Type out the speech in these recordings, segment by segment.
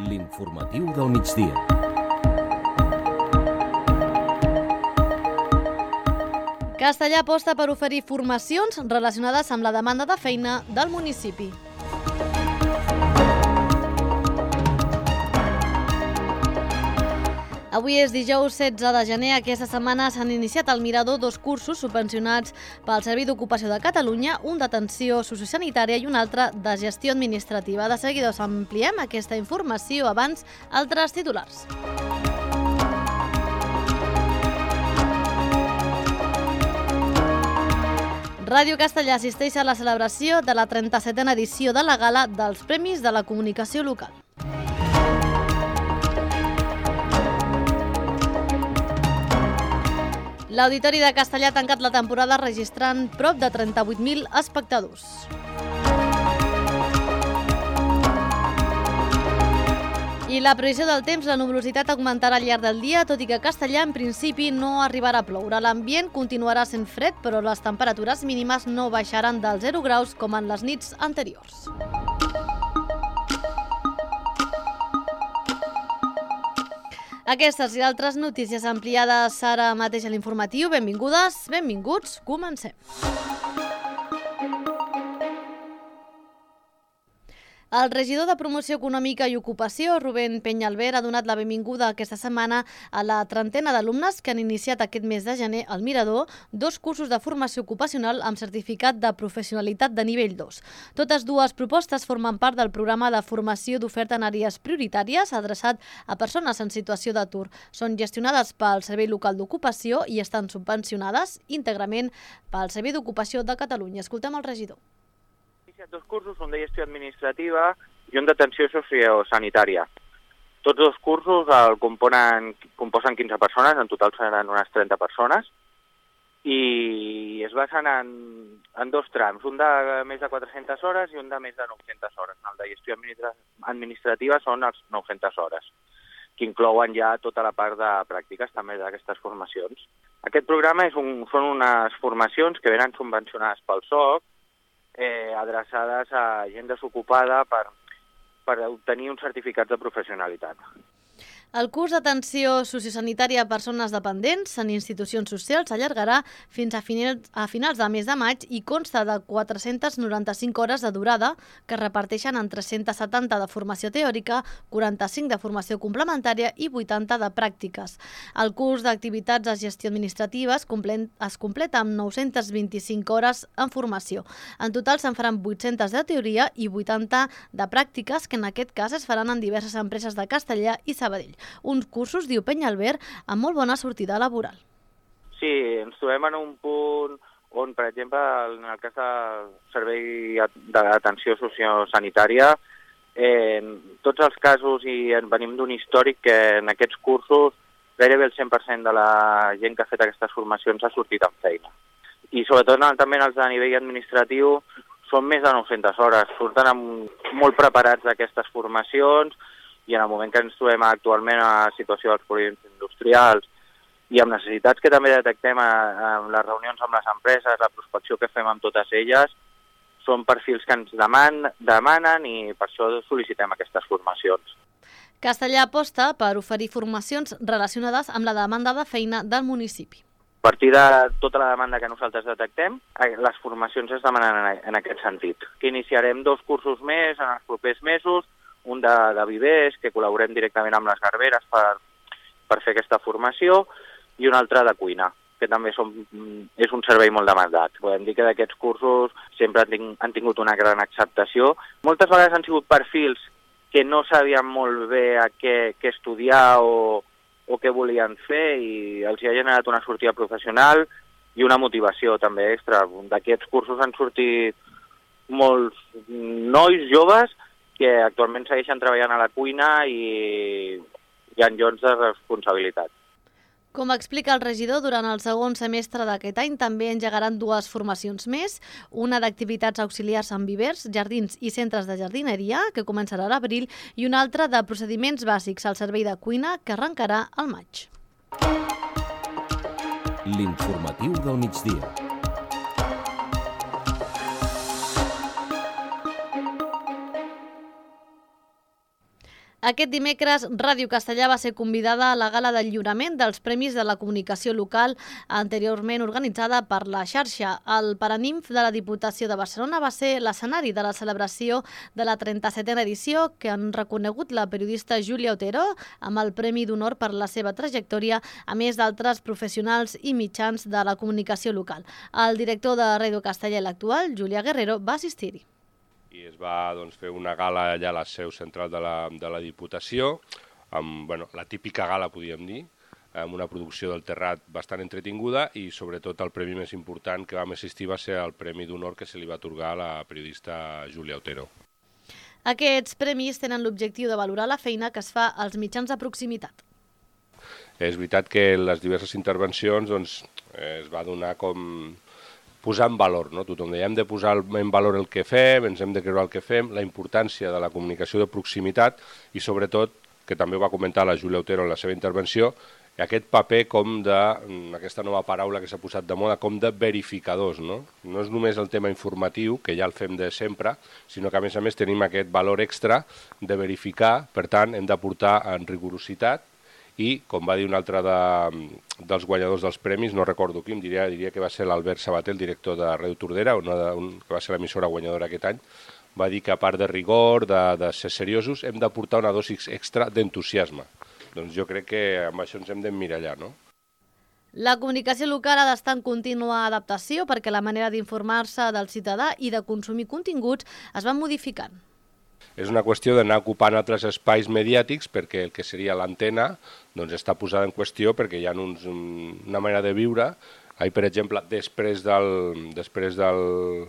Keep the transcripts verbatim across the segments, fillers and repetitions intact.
L'informatiu del migdia. Castellar aposta per oferir formacions relacionades amb la demanda de feina del municipi. Avui és dijous setze de gener. Aquesta setmana s'han iniciat al Mirador dos cursos subvencionats pel Servei d'Ocupació de Catalunya, un d'atenció sociosanitària i un altre de gestió administrativa. De seguida us ampliem aquesta informació, abans altres titulars. Ràdio Castellar assisteix a la celebració de la trenta-setena edició de la Gala dels Premis de la Comunicació Local. L'Auditori de Castellar ha tancat la temporada registrant prop de trenta-vuit mil espectadors. I la previsió del temps, la nuvolositat augmentarà al llarg del dia, tot i que a Castellar en principi no arribarà a ploure. L'ambient continuarà sent fred, però les temperatures mínimes no baixaran dels zero graus com en les nits anteriors. Aquestes i altres notícies ampliades ara mateix a l'informatiu. Benvingudes, benvinguts, comencem. El regidor de Promoció Econòmica i Ocupació, Rubén Peñalver, ha donat la benvinguda aquesta setmana a la trentena d'alumnes que han iniciat aquest mes de gener al Mirador dos cursos de formació ocupacional amb certificat de professionalitat de nivell dos. Totes dues propostes formen part del programa de formació d'oferta en àrees prioritàries adreçat a persones en situació d'atur. Són gestionades pel Servei Local d'Ocupació i estan subvencionades íntegrament pel Servei d'Ocupació de Catalunya. Escoltem el regidor. Dos cursos, un de gestió administrativa i un d'atenció sociosanitària. Tots dos cursos el componen, composen quinze persones, en total seran unes trenta persones, i es basen en, en dos trams, un de més de quatre-centes hores i un de més de nou-centes hores. El de gestió administrativa són les nou-centes hores, que inclouen ja tota la part de pràctiques també d'aquestes formacions. Aquest programa és un, són unes formacions que venen subvencionades pel S O C, Eh, adreçades a gent desocupada per, per obtenir uns certificats de professionalitat. El curs d'atenció sociosanitària a persones dependents en institucions socials s'allargarà fins a finals, a finals del mes de maig i consta de quatre-centes noranta-cinc hores de durada que es reparteixen en tres-centes setanta de formació teòrica, quaranta-cinc de formació complementària i vuitanta de pràctiques. El curs d'activitats de gestió administrativa es completa amb nou-centes vint-i-cinc hores en formació. En total se'n faran vuit-centes de teoria i vuitanta de pràctiques que en aquest cas es faran en diverses empreses de Castellar i Sabadell. Uns cursos, diu Peñalver, amb molt bona sortida laboral. Sí, ens trobem en un punt on, per exemple, en el cas del servei d'atenció sociosanitària, eh, tots els casos, i venim d'un històric que en aquests cursos gairebé el cent per cent de la gent que ha fet aquestes formacions ha sortit amb feina. I sobretot també els de nivell administratiu són més de nou-centes hores, surten amb, molt preparats d'aquestes formacions, i en el moment que ens trobem actualment a la situació dels polígons industrials i amb necessitats que també detectem en les reunions amb les empreses, la prospecció que fem amb totes elles, són perfils que ens deman, demanen i per això sol·licitem aquestes formacions. Castellar aposta per oferir formacions relacionades amb la demanda de feina del municipi. A partir de tota la demanda que nosaltres detectem, les formacions es demanen en aquest sentit. Que iniciarem dos cursos més en els propers mesos, un de, de vivers, que col·laborem directament amb les garberes per, per fer aquesta formació, i un altre de cuina, que també som, és un servei molt demandat. Podem dir que d'aquests cursos sempre han, ting, han tingut una gran acceptació. Moltes vegades han sigut perfils que no sabien molt bé a què, què estudiar o, o què volien fer, i els hi ha generat una sortida professional i una motivació també extra. D'aquests cursos han sortit molts nois joves que actualment segueixen treballant a la cuina i, i en llocs de responsabilitat. Com explica el regidor, durant el segon semestre d'aquest any també engegaran dues formacions més, una d'activitats auxiliars en vivers, jardins i centres de jardineria, que començarà a l'abril, i una altra de procediments bàsics al servei de cuina, que arrencarà al maig. L'informatiu del migdia. Aquest dimecres, Ràdio Castellà va ser convidada a la gala del lliurament dels Premis de la Comunicació Local, anteriorment organitzada per la xarxa. El Paranimf de la Diputació de Barcelona va ser l'escenari de la celebració de la trenta-setena edició, que han reconegut la periodista Júlia Otero amb el Premi d'Honor per la seva trajectòria, a més d'altres professionals i mitjans de la comunicació local. El director de Ràdio Castellà, l'actual, Julià Guerrero, va assistir-hi. I es va doncs, fer una gala allà a la seu central de la, de la Diputació, amb bueno, la típica gala, podríem dir, amb una producció del Terrat bastant entretinguda i sobretot el premi més important que vam assistir va ser el Premi d'Honor que se li va atorgar a la periodista Júlia Otero. Aquests premis tenen l'objectiu de valorar la feina que es fa als mitjans de proximitat. És veritat que en les diverses intervencions doncs, es va donar com posar en valor, no? Tothom deia, hem de posar en valor el que fem, ens hem de creure el que fem, la importància de la comunicació de proximitat i sobretot, que també ho va comentar la Júlia Otero en la seva intervenció, aquest paper com de, aquesta nova paraula que s'ha posat de moda, com de verificadors, no? No és només el tema informatiu, que ja el fem de sempre, sinó que a més a més tenim aquest valor extra de verificar, per tant hem d'aportar en rigorositat i, com va dir un altre de, dels guanyadors dels premis, no recordo quin, diria, diria que va ser l'Albert Sabater, el director de Ràdio Tordera, una de, un, que va ser l'emissora guanyadora aquest any, va dir que a part de rigor, de, de ser seriosos, hem d'aportar una dosi extra d'entusiasme. Doncs jo crec que amb això ens hem d'emmirallar, no? La comunicació local ha d'estar en contínua adaptació perquè la manera d'informar-se del ciutadà i de consumir continguts es va modificant. És una qüestió d'anar ocupant altres espais mediàtics perquè el que seria l'antena doncs, està posada en qüestió perquè hi ha uns, una manera de viure. Ahir, per exemple, després, del, després del,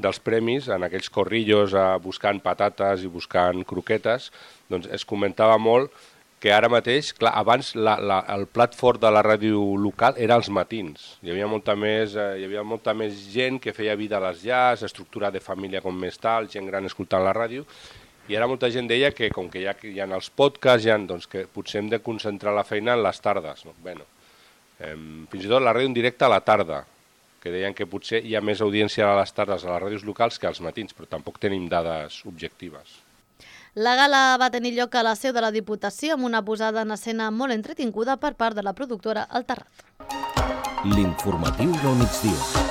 dels premis, en aquells corrillos eh, buscant patates i buscant croquetes, doncs es comentava molt que ara mateix, clar, abans la, la, el plat fort de la ràdio local era els matins. Hi havia molta més, eh, hi havia molta més gent que feia vida a les llars, estructura de família com més tal, gent gran escoltant la ràdio, i ara molta gent deia que com que hi ha, hi ha els podcasts, hi ha, doncs que potser hem de concentrar la feina en les tardes. No? Bueno, eh, fins i tot la ràdio en directe a la tarda, que deien que potser hi ha més audiència a les tardes a les ràdios locals que als matins, però tampoc tenim dades objectives. La gala va tenir lloc a la seu de la Diputació amb una posada en escena molt entretinguda per part de la productora El Terrat. L'informatiu del migdia.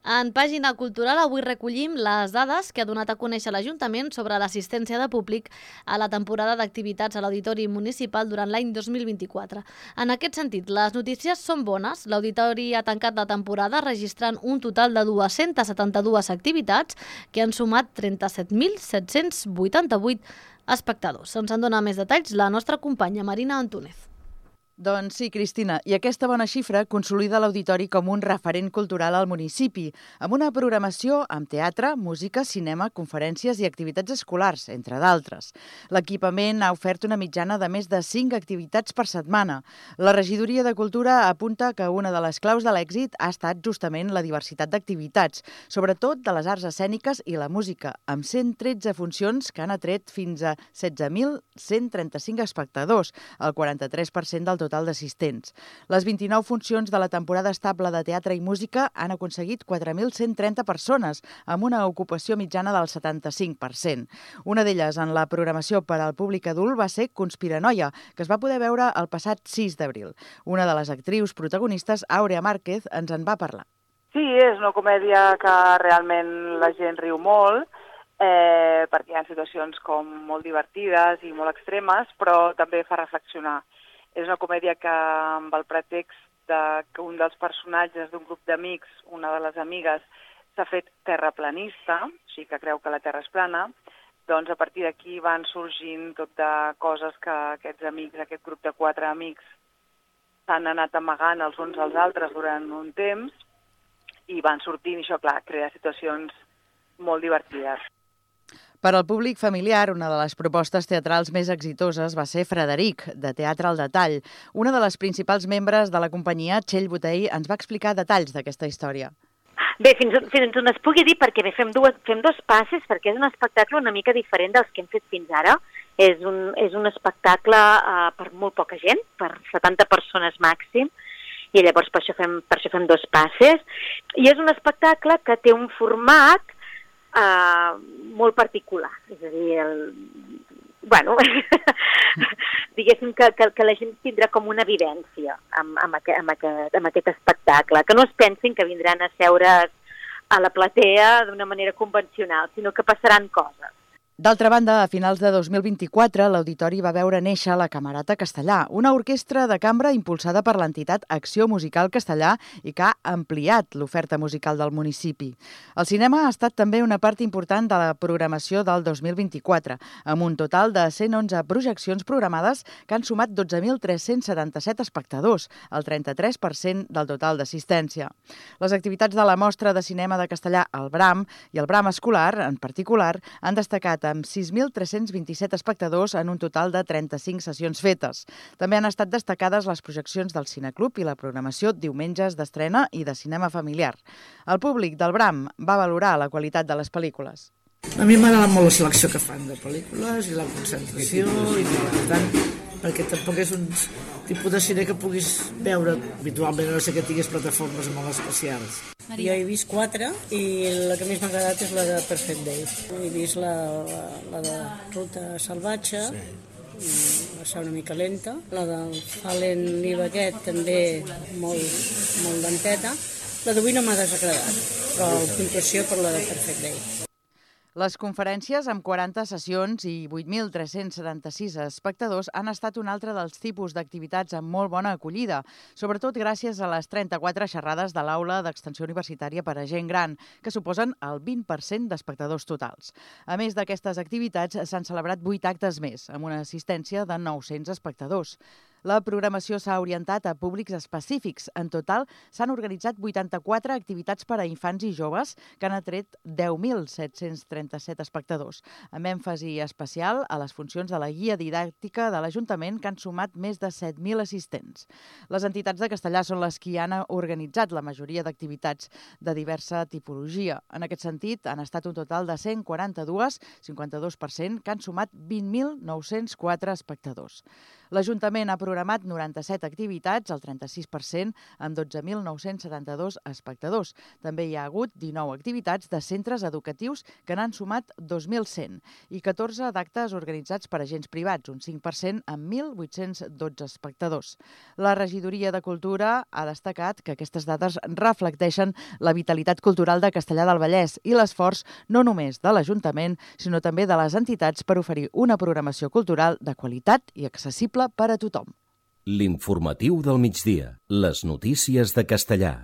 En pàgina cultural avui recollim les dades que ha donat a conèixer l'Ajuntament sobre l'assistència de públic a la temporada d'activitats a l'Auditori Municipal durant l'any dos mil vint-i-quatre. En aquest sentit, les notícies són bones. L'Auditori ha tancat la temporada registrant un total de dues-centes setanta-dues activitats que han sumat trenta-set mil set-cents vuitanta-vuit espectadors. Ens en dona més detalls la nostra companya Marina Antúnez. Doncs sí, Cristina, i aquesta bona xifra consolida l'Auditori com un referent cultural al municipi, amb una programació amb teatre, música, cinema, conferències i activitats escolars, entre d'altres. L'equipament ha ofert una mitjana de més de cinc activitats per setmana. La Regidoria de Cultura apunta que una de les claus de l'èxit ha estat justament la diversitat d'activitats, sobretot de les arts escèniques i la música, amb cent tretze funcions que han atret fins a setze mil cent trenta-cinc espectadors, el quaranta-tres per cent del total d'assistents. Les vint-i-nou funcions de la temporada estable de teatre i música han aconseguit quatre mil cent trenta persones, amb una ocupació mitjana del setanta-cinc per cent. Una d'elles, en la programació per al públic adult, va ser Conspiranoia, que es va poder veure el passat sis d'abril. Una de les actrius protagonistes, Àurea Márquez, ens en va parlar. Sí, és una comèdia que realment la gent riu molt, eh, perquè hi ha situacions com molt divertides i molt extremes, però també fa reflexionar. És una comèdia que, amb el pretext de que un dels personatges d'un grup d'amics, una de les amigues, s'ha fet terraplanista, o sigui que creu que la Terra és plana, doncs a partir d'aquí van sorgint tot de coses que aquests amics, aquest grup de quatre amics, s'han anat amagant els uns als altres durant un temps i van sortint, i això, clar, crea situacions molt divertides. Per al públic familiar, una de les propostes teatrals més exitoses va ser Frederic, de Teatre al Detall. Una de les principals membres de la companyia, Txell Botei, ens va explicar detalls d'aquesta història. Bé, fins, fins on es pugui dir, perquè bé, fem, dues, fem dos passes, perquè és un espectacle una mica diferent dels que hem fet fins ara. És un, és un espectacle uh, per molt poca gent, per setanta persones màxim, i llavors per això fem, per això fem dos passes. I és un espectacle que té un format uh, molt particular. És a dir, el... bueno, diguéssim que, que, que la gent tindrà com una vivència amb, amb, aquest, amb, aquest, amb aquest espectacle, que no es pensin que vindran a seure's a la platea d'una manera convencional, sinó que passaran coses. D'altra banda, a finals de dos mil vint-i-quatre, l'Auditori va veure néixer la Camerata Castellà, una orquestra de cambra impulsada per l'entitat Acció Musical Castellà i que ha ampliat l'oferta musical del municipi. El cinema ha estat també una part important de la programació del dos mil vint-i-quatre, amb un total de cent onze projeccions programades que han sumat dotze mil tres-cents setanta-set espectadors, el trenta-tres per cent del total d'assistència. Les activitats de la Mostra de Cinema de Castellà, el Bram, i el Bram Escolar, en particular, han destacat amb sis mil tres-cents vint-i-set espectadors en un total de trenta-cinc sessions fetes. També han estat destacades les projeccions del Cineclub i la programació diumenges d'estrena i de cinema familiar. El públic del Bram va valorar la qualitat de les pel·lícules. A mi m'agrada molt la selecció que fan de pel·lícules i la concentració, i per tant, perquè tampoc és un tipus de cine que puguis veure habitualment, a no ser que tinguis plataformes molt especials. Jo he vist quatre i la que més m'ha agradat és la de Perfect Day. He vist la, la, la de Ruta Salvatge, sí. Va ser una mica lenta. La del Fallen Live aquest també molt, molt lenteta. La d'avui no m'ha desagradat, però puntuació per la de Perfect Day. Les conferències, amb quaranta sessions i vuit mil tres-cents setanta-sis espectadors, han estat un altre dels tipus d'activitats amb molt bona acollida, sobretot gràcies a les trenta-quatre xerrades de l'aula d'extensió universitària per a gent gran, que suposen el vint per cent d'espectadors totals. A més d'aquestes activitats, s'han celebrat vuit actes més, amb una assistència de nou-cents espectadors. La programació s'ha orientat a públics específics. En total, s'han organitzat vuitanta-quatre activitats per a infants i joves que han atret deu mil set-cents trenta-set espectadors, amb èmfasi especial a les funcions de la guia didàctica de l'Ajuntament, que han sumat més de set mil assistents. Les entitats de Castellà són les que han organitzat la majoria d'activitats de diversa tipologia. En aquest sentit, han estat un total de cent quaranta-dos, cinquanta-dos per cent, que han sumat vint mil nou-cents quatre espectadors. L'Ajuntament ha programat noranta-set activitats, el trenta-sis per cent, amb dotze mil nou-cents setanta-dos espectadors. També hi ha hagut dinou activitats de centres educatius que n'han sumat dos mil cent i catorze d'actes organitzats per agents privats, un cinc per cent, amb mil vuit-cents dotze espectadors. La Regidoria de Cultura ha destacat que aquestes dades reflecteixen la vitalitat cultural de Castellar del Vallès i l'esforç no només de l'Ajuntament, sinó també de les entitats per oferir una programació cultural de qualitat i accessible per a tothom. L'informatiu del migdia. Les notícies de Castellar.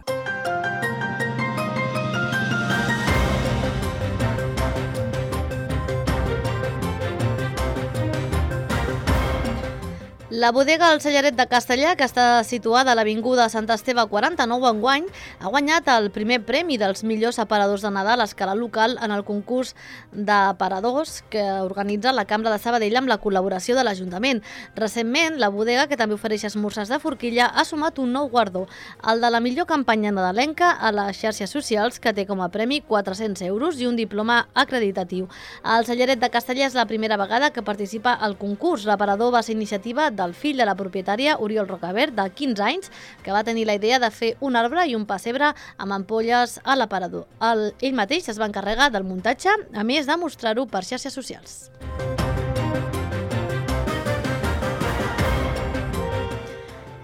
La bodega El Cellaret de Castellar, que està situada a l'Avinguda Sant Esteve quaranta-nou enguany, ha guanyat el primer premi dels millors aparadors de Nadal a escala local en el concurs d'aparadors que organitza la Cambra de Sabadell amb la col·laboració de l'Ajuntament. Recentment, la bodega, que també ofereix esmorzars de forquilla, ha sumat un nou guardó, el de la millor campanya nadalenca a les xarxes socials, que té com a premi quatre-cents euros i un diploma acreditatiu. El Cellaret de Castellar és la primera vegada que participa al concurs. L'aparador va ser iniciativa del fill de la propietària, Oriol Rocabert, de quinze anys, que va tenir la idea de fer un arbre i un pessebre amb ampolles a l'aparador. El, ell mateix es va encarregar del muntatge, a més de mostrar-ho per xarxes socials.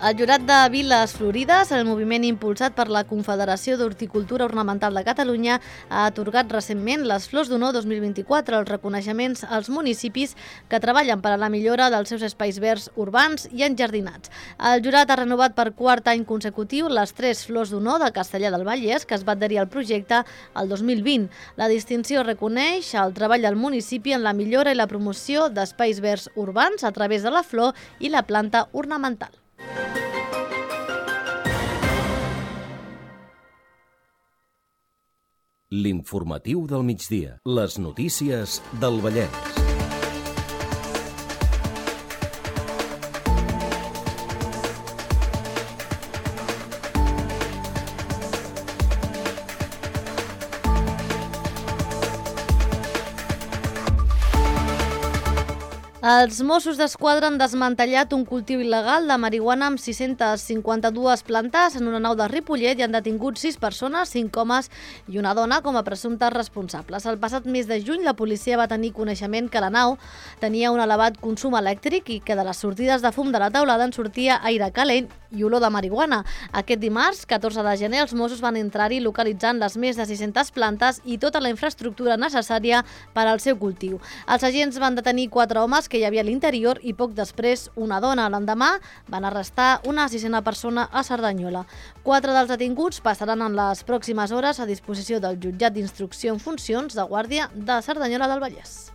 El Jurat de Viles Florides, el moviment impulsat per la Confederació d'Horticultura Ornamental de Catalunya, ha atorgat recentment les Flors d'Honor dos mil vint-i-quatre, els reconeixements als municipis que treballen per a la millora dels seus espais verds urbans i enjardinats. El jurat ha renovat per quart any consecutiu les tres Flors d'Honor de Castellar del Vallès, que es va adherir al projecte el dos mil vint. La distinció reconeix el treball del municipi en la millora i la promoció d'espais verds urbans a través de la flor i la planta ornamental. L'informatiu del migdia. Les notícies del Vallès. Els Mossos d'Esquadra han desmantellat un cultiu il·legal de marihuana amb sis-centes cinquanta-dues plantes en una nau de Ripollet i han detingut sis persones, cinc homes i una dona com a presumptes responsables. El passat mes de juny la policia va tenir coneixement que la nau tenia un elevat consum elèctric i que de les sortides de fum de la teulada en sortia aire calent i olor de marihuana. Aquest dimarts, catorze de gener, els Mossos van entrar-hi localitzant les més de sis-centes plantes i tota la infraestructura necessària per al seu cultiu. Els agents van detenir quatre homes que hi havia a l'interior i poc després una dona. L'endemà van arrestar una sisena persona a Cerdanyola. Quatre dels detinguts passaran en les pròximes hores a disposició del jutjat d'instrucció en funcions de guàrdia de Cerdanyola del Vallès.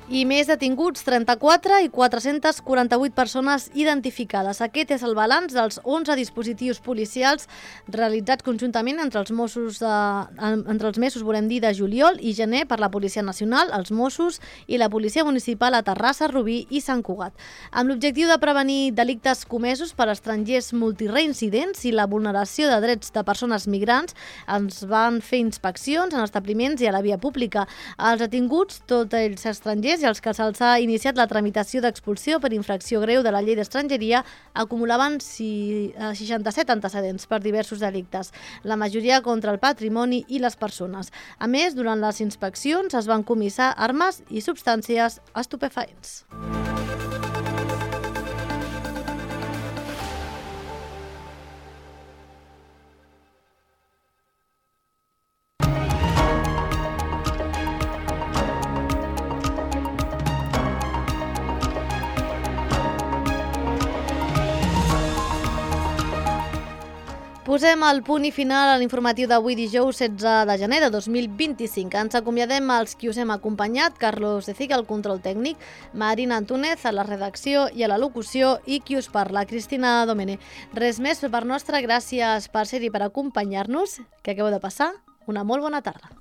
I més detinguts, trenta-quatre i quatre-centes quaranta-vuit persones identificades. Aquest és el balanç dels onze dispositius policials realitzats conjuntament entre els Mossos de, entre els mesos, volem dir, de juliol i gener per la Policia Nacional, els Mossos i la Policia Municipal a Terrassa, Rubí i Sant Cugat. Amb l'objectiu de prevenir delictes comesos per estrangers multireincidents i la vulneració de drets de persones migrants, ens van fer inspeccions en establiments i a la via pública. Els detinguts, tots ells estrangers, i els que se'ls ha iniciat la tramitació d'expulsió per infracció greu de la llei d'estrangeria acumulaven seixanta-set antecedents per diversos delictes, la majoria contra el patrimoni i les persones. A més, durant les inspeccions es van comissar armes i substàncies estupefaents. Posem el punt i final a l'informatiu d'avui dijous setze de gener de dos mil vint-i-cinc. Ens acomiadem als qui us hem acompanyat, Carlos de Ciga al control tècnic, Marina Antúnez a la redacció i a la locució i qui us parla, Cristina Domene. Res més per part nostra, gràcies per ser-hi, per acompanyar-nos. Què acabeu de passar? Una molt bona tarda.